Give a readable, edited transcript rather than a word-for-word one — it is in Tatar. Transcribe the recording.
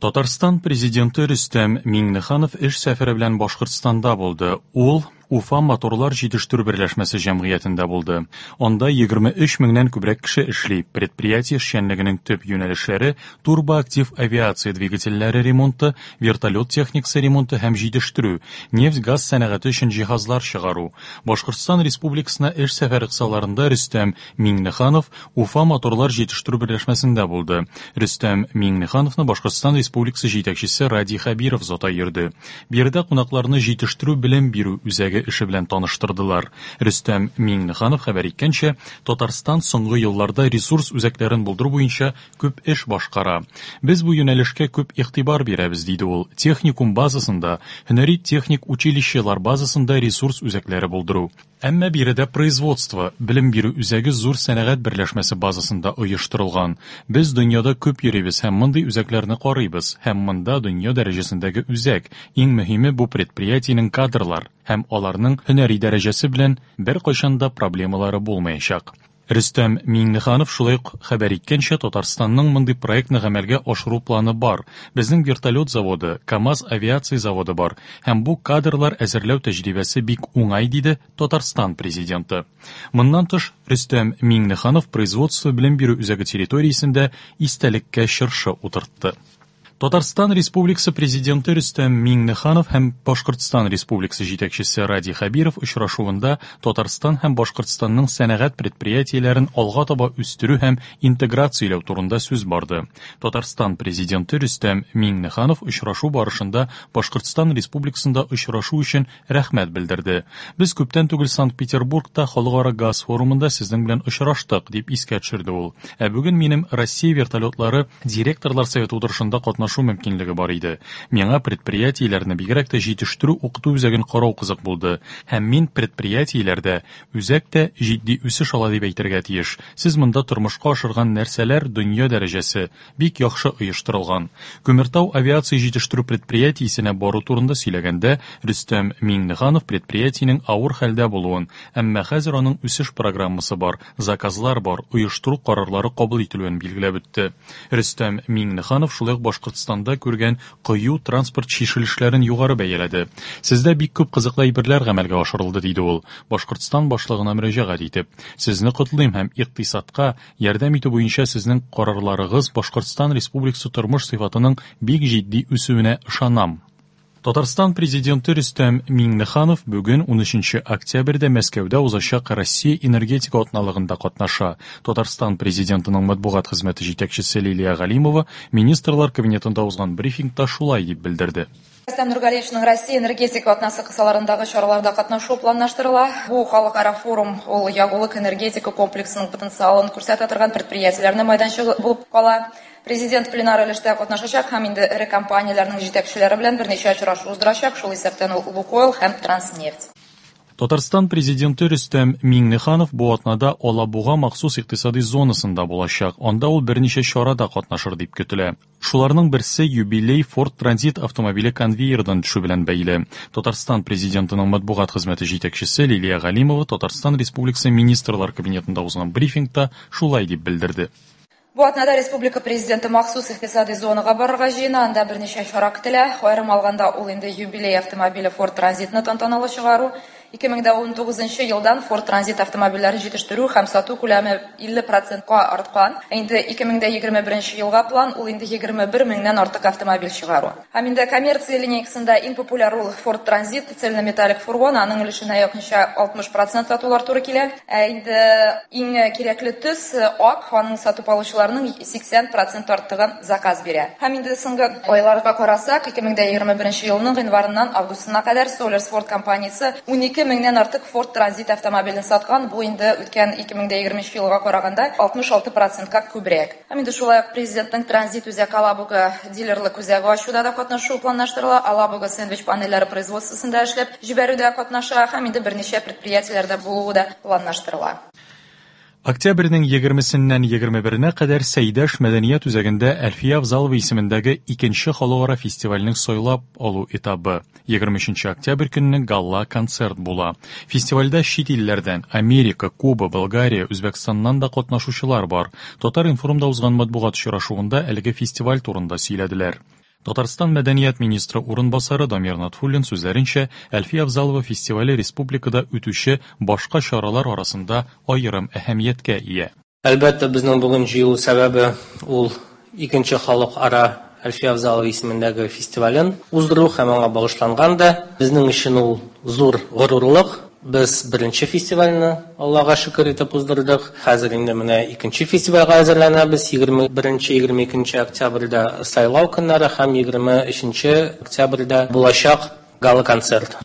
Татарстан Президенты Рөстәм Миңнеханов эш сәфәре белән Башкортстанда булды. Ул Уфа моторлар җитештерү берләшмәсе җәмгыятендә булды. Анда 23 меңнән күбрәк кеше эшли. Предприятие эшчәнлегенең төп юнәлешләре турбоактив авиация двигательләре ремонты, вертолет техникасы ремонты һәм җитештерү, нефть-газ сәнәгате өчен җиһазлар чыгару. Башкортстан Республикасына эш сәфәре кысаларында Рөстәм Миңнеханов Уфа моторлар җитештерү берләшмәсендә булды. Рөстәм Миңнехановны Башкортстан Республикасы җитәкчесе Радий Хәбиров озата йөрде. Биредә кунакларны җитештерү-белем бирү үзәге эше белән таныштырдылар. Рөстәм Миңнеханов хәбәр иткәнчә, Татарстан соңгы елларда ресурс үзәкләрен булдыру буенча күп эш башкара. Без бу юнәлешкә күп игътибар бирәбез, диде ул. Техникум базасында, һөнәри-техник училищелар базасында ресурс үзәкләре булдыру. Әмма биредә производство, белем бирү үзәге зур сәнәгать берләшмәсе базасында оештырылган. Без дөньяда күп йөрибез һәм мондый үзәкләрне карыйбыз, һәм монда дөнья дәрәҗәсендәге үзәк, иң мөһиме бу предприятиенең кадрлар һәм аларның һөнәри дәрәҗәсе белән беркайчан да проблемалары булмаячак. Рөстәм Миңнеханов шулай ук хәбәр иткәнчә, Татарстанның мондый проектны гамәлгә ашыру планы бар. Безнең вертолет заводы, КАМАЗ авиация заводы бар һәм бу кадрлар әзерләү тәҗрибәсе бик уңай, диде Татарстан Президенты. Моннан тыш, Рөстәм Миңнеханов производство-белем бирү үзәге территориясендә истәлеккә чыршы утыртты. Татарстан Республикасы Президенты Рөстәм Миңнеханов һәм Башкортстан Республикасы җитәкчесе Радий Хәбиров очрашуында Татарстан һәм Башкортстанның сәнәгать предприятиеләрен алга таба үстерү һәм интеграцияләү турында сүз барды. Татарстан Президенты Рөстәм Миңнеханов очрашу барышында Башкортстан Республикасында очрашу өчен рәхмәт белдерде. Без күптән түгел Санкт-Петербургта халыкара газ форумында сезнең белән очраштык, дип искә төшерде ул. Ә бүген минем Россия вертолетлары директорлар советы утырышында катнашу мөмкинлеге бар иде. Миңа предприятиеләрне, бигрәк тә җитештерү-укыту үзәген карау кызык булды. Һәм мин предприятиеләрдә үзәк тә җитди үсеш ала дип әйтергә тиеш. Сез монда тормышка ашырган нәрсәләр дөнья дәрәҗәсе, бик яхшы оештырылган. Күмертау авиация җитештерү предприятиесенә бару турында сөйләгәндә, Рөстәм Миңнеханов предприятиенең авыр хәлдә булуын, әмма хәзер аның үсеш программасы бар, заказлар бар, оештыру карарлары кабул ителүен билгеләп үтте. Рөстәм Миңнеханов шулай ук Башкортстанда күргән кыю транспорт чишелешләрен югары бәяләде. Сездә бик күп кызыклы әйберләр гамәлгә ашырылды, диде ул, Башкортстан Башлыгына мөрәҗәгать итеп. Сезне котлыйм һәм икътисадка ярдәм итү буенча сезнең карарларыгыз Башкортстан Республикасы тормыш сыйфатының бик җитди үсүенә ышанам. Татарстан Президенты Рөстәм Миңнеханов бүген 13 октябрьдә Мәскәүдә узачак Россия энергетика атналыгында катнаша. Татарстан Президентының матбугат хезмәте җитәкчесе Лилия Галимова Министрлар Кабинетында узган брифингта шулай дип белдерде. Рөстәм Нургалиевичның Россия энергетика атнасы кысаларындагы чараларда катнашуы планлаштырыла. Бу халыкара форум ул ягулык-энергетика комплексының потенциалын күрсәтә торган предприятиеләрнең майданчыгы булып кала. Президент пленар өлештә катнашачак һәм инде эре компанияләрнең җитәкчеләре белән берничә очрашу уздырачак, шул исәптән ул Лукойл һәм Транснефть. Татарстан Президенты Рөстәм Миңнеханов бу атнада Алабуга махсус икътисади зонасында булачак. Анда ул берничә чарада катнашыр дип көтелә. Шуларның берсе юбилей Ford Transit автомобиле конвейердан төшү белән бәйле. Татарстан Президентының матбугат хезмәте җитәкчесе Лилия Галимова Татарстан Республикасы Министрлар Кабинетында узган брифингта шулай дип белдерде. Бу атнада республика Президенты махсус икътисади зонага барырга җыена, анда берничә чара көтелә. Аерым алганда, ул инде юбилей автомобиле Ford Transit-ны тантаналы чыгару. 2019 елдан Ford Transit автомобильләрен җитештерү һәм сату күләме 50 процентка арткан. Ә инде 2021 елга план, ул инде 21 меңнән артык автомобиль чыгару. Һәм инде коммерция линейкасында иң популяр ул Ford Transit, цельнометаллик фургон, аның өлешенә якынча 60 процент сатулар туры килә. Ә инде иң кирәкле төс ак, аның сатып алучыларның 80 процент артыгы заказ бирә. Һәм инде соңгы айларга карасак, 2021 елның гыйнварыннан августына кадәр Solers Ford компаниясе 12 меңнән артык Ford Transit автомобилен саткан, бу инде үткән 2020 елга караганда 66 процентка күбрәк. Һәм инде шулай ук Президентның Транзит үзәк Алабуга дилерлык үзәге ачуда да катнашуы планлаштырыла. Алабуга сэндвич панельләре производствосында эшләп җибәрүдә катнаша һәм инде берничә предприятиеләрдә булуы да планлаштырыла. Октябрьнең егермесеннән 21-нә кадәр Сәйдәш мәдәният үзәгендә Әлфия Авзалова исемендәге икенче халыкара фестивальнең сайлап алу этабы. 23 октябрь көнне гала-концерт була. Фестивальдә чит илләрдән, Америка, Куба, Болгария, Үзбәкстаннан да катнашучылар бар. Татар-информда узган матбугат очрашуында әлеге фестиваль турында сөйләделәр. Татарстан мәдәният министры урынбасары Дамир Натфуллин сүзләренчә, Әлфия Авзалова фестивале республикада үтүче башка чаралар арасында аерым әһәмияткә ия. Әлбәттә, безнең бүген җыелу сәбәбе ул икенче халыкара Әлфия Авзалова исемендәге фестивален уздыру һәм аңа багышланган да. Безнең өчен ул зур горурлык. Без беренче фестивальне Аллага шөкер итеп уздырдык. Хәзер инде менә икенче фестивальгә әзерләнәбез. 21-22 октябрьдә сайлау көннәре һәм 23 октябрьдә булачак гала-концерт.